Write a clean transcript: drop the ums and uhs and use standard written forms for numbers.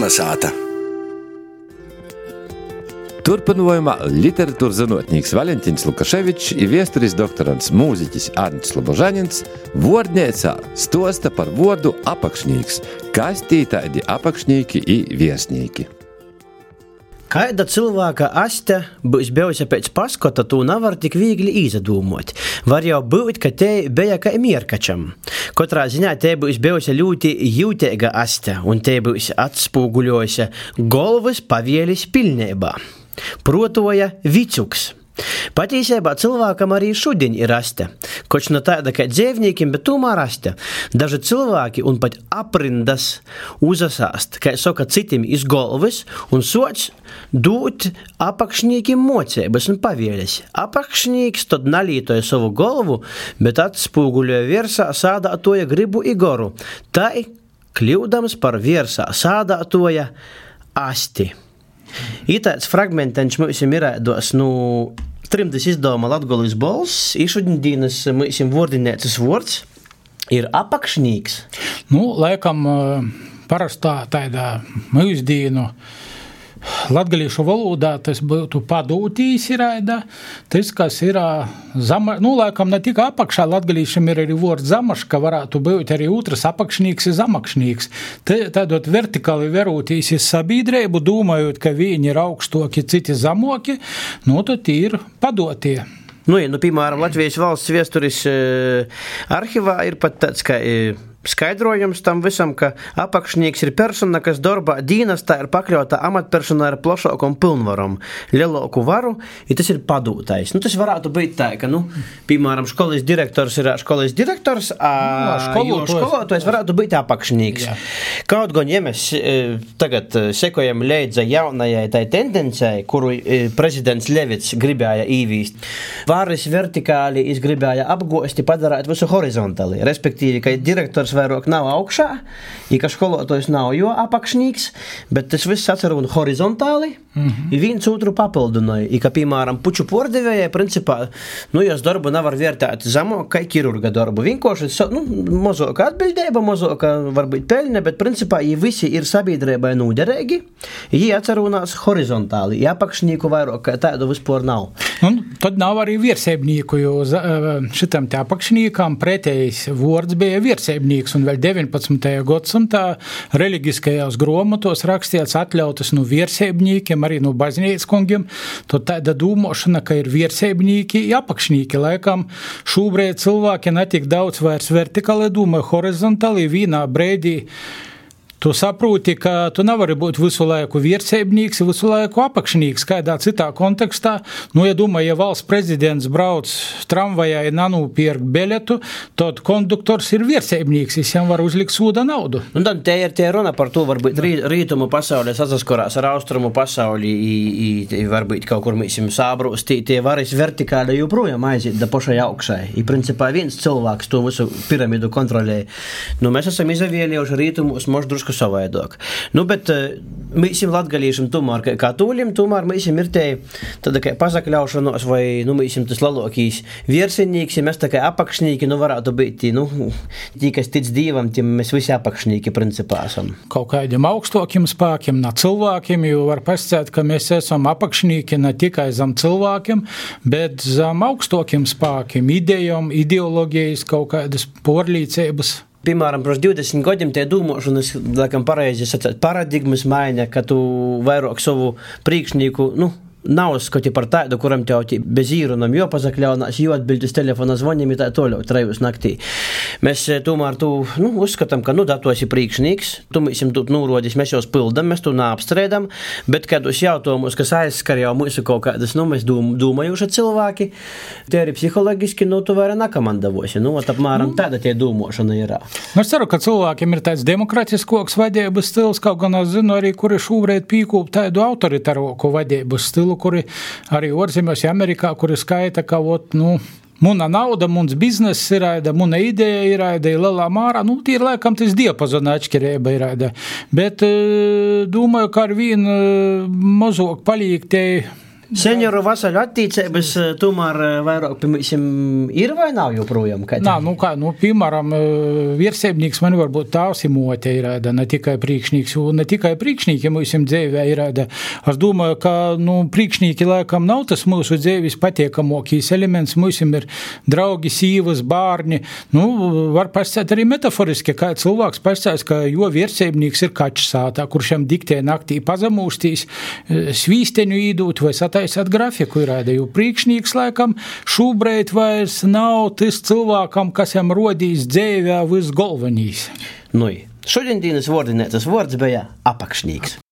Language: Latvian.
Kolnesāta. Turpinājumā literatūras zinotnīks Valentīns Lukaševičs i viesturis doktorants mūziķis Arnis Slobožanins vuordneicā stosta par vuordu apakšnīks, kas tī tādi apakšnīki i viesnīki. Kaida cilvēka aste būs bijusi pēc paskota, tū nevar tik viegli izdomot. Var jau būt, ka te bija kā mierkačam. Katrā ziņā te būs bijusi ļoti jūteiga aste, un te būs atspūguļojusi galvas pavielis pilnībā. Protoja vicuks. Patīsībā cilvēkam arī šodien ir aste. Koč no tāda kā dzīvniekiem, bet tomēr aste. Daži cilvēki un pat aprindas uzasāst, kā saka citim iz galvas, un soč dūt apakšnīkiem mocības un pavielis. Apakšnīks tad nalītoja savu galvu, bet atspūguļoja virsā sādātoja gribu i goru. Tai kļūdams par virsā sādātoja asti. Itāds fragmentiņš mums ir ēdos, trimdas izdevuma Latgolis balss, šodienas mums vuordinēcas vuords ir apakšnīks. Laikam parastā tāda mūsdienu latgalīšu valodā tas būtu padūtīs iraida, tas, kas ir laikam ne tikai apakšā latgalīšam ir arī vuords zamaška, varētu būt arī otrs apakšnīks ir zamakšnīks. Tādot vertikāli verūtīs iz sabīdreibu, domājot, ka viņi ir augstoki, citi zamoki, tad ir padotie. Piemēram, Latvijas valsts viesturis arhivā ir pat tāds, ka skaidrojums tam visam, ka apakšnieks ir persona, kas darbā dīnastā ir pakļauta amatpersonā ar plašākom pilnvarom, lielāku varu, i tas ir padūtais. Tas varētu būt tā, ka, piemēram, skolas direktors ir skolas direktors, skolotājs varētu būt apakšnieks. Kaut gan, ja mēs tagad sekojam leidza jaunajai tai tendencei, kuru prezidents Levits gribēja īvīst, varas vertikāli gribēja apgosti, padarāt visu horizontāli, respektīvi, ka direktors vairāk nav augšā, ka skolotājs nav jo apakšnīgs, bet tas viss atcer un horizontāli, i viens otru papildinoja, ka, piemēram, puču pordevējai, principā, jos darbu nevar vērtēt zamāk, kā ķirurga darbu. Vienkārši, mazāka atbildība, mazāka varbūt peļņa, bet, principā, visi ir sabiedrībai nūderīgi, atcer unās horizontāli, apakšnīku vairāk, tādu vispār nav. Tad nav arī viersēbnīku, jo šitam te apakšnīkam pretējs vuords bija viersēbnīks, un vēl 19. gadsimtā reliģiskajās gromatos rakstīts atļautas viersēbnīkiem, arī baznīcas kungiem, tad tāda dūmošana, ka ir viersēbnīki, apakšnīki. Laikam šobrīd cilvēki netik daudz vairs vertikāli domāja, horizontāli vienā brīdī. Tu saproti, ka tu nevari būt visu laiku viersēbnīks, visu laiku apakšnīks, kādā citā kontekstā. Ja domāju, ja valsts prezidents brauc tramvajā un nanūpierk biļetu, tad konduktors ir viersēbnīks, visiem var uzlikt sūda naudu. Tad te ir runa par to, varbūt rītumu pasaulē sasaskorās ar austrumu pasauli, varbūt kaut kur mēs sābrūs, tie varas vertikāli joprojām aiziet da pašai augšai. Principā viens cilvēks to visu piramidu kontrolē. Mēs esam izavielījuši rītumus moždrušku savaidāk. Bet mēs latgalīšam tomēr kā katoļiem, tomēr mēs ir te tāda kā pasakļaušanos vai mēs tas lalokīs viersinīks, ja mēs tā kā apakšnīki, varētu būt tī, kas tic Dievam, tiem mēs visi apakšnīki principā esam. Kaut kādiem augstokiem spākiem, ne cilvēkiem, jo var pasciēt, ka mēs esam apakšnīki ne tikai zem cilvēkiem, bet zem augstokiem spākiem, idejām, ideologijas, kaut kādas porlīcības. Piemēram, pirms 20 gadiem tie dūmošanas, laikam pareizi sacēt, paradigmas maiņa, ka tu vairāk savu priekšnieku, nav skoti par tādu, kuram tev bez īrunam jopazakļaunās, jo atbildes telefona zvaniem ir tā toļau, 3 naktī. Mēs tomēr uzskatām, ka datos ir priekšnieks, tu mēs tu nūrodis, mēs jūs pildam, mēs tu neapstrēdam, bet kādus jautājumus, kas aizskar jau mūsu kaut kādas, mēs domājuši cilvēki, tie arī psihologiski, tu vairāk nakamandavosi, apmēram tāda tie dūmošana ir. Es ceru, ka cilvēkiem ir tāds demokratiskoks vadības stils, kaut gan es zinu arī, kuri šobrīd pīkūp tādu autoritaroku vadības stilu, kuri arī orzemēs Amerikā, kuri skaita, ka muna nauda, muns bizness ir, muna ideja ir, lielā mārā, tie ir laikam tas diapazona atšķirība ir. Bet domāju, ka ar vienu mazāk palīk tie Senioru vasaļu attīcības tomēr vairāk, piemēram, ir vai nav joprojām? Piemēram, vierseibnīks man varbūt tāvs i mote ir, ne tikai prīkšnīks, un ne tikai prīkšnīki mums dzīvē ir. Es domāju, ka, prīkšnīki laikam nav tas mūsu dzīvis patiekamokīs elements, mums ir draugi, sīvas, bārni, var pastāstīt arī metaforiski, kā cilvēks pastāst, ka jo vierseibnīks ir kačs sātā, kurš jam diktē naktī pazamūstīs, svīsteņu īdūt vai sataisāt grafiku ir, jo prīkšnīgs laikam šūbreit vairs nav tas cilvēkam, kas jam rodīs dzīvē visgalvenīs. Šodien dienas vordinētas vords bija apakšnīgs.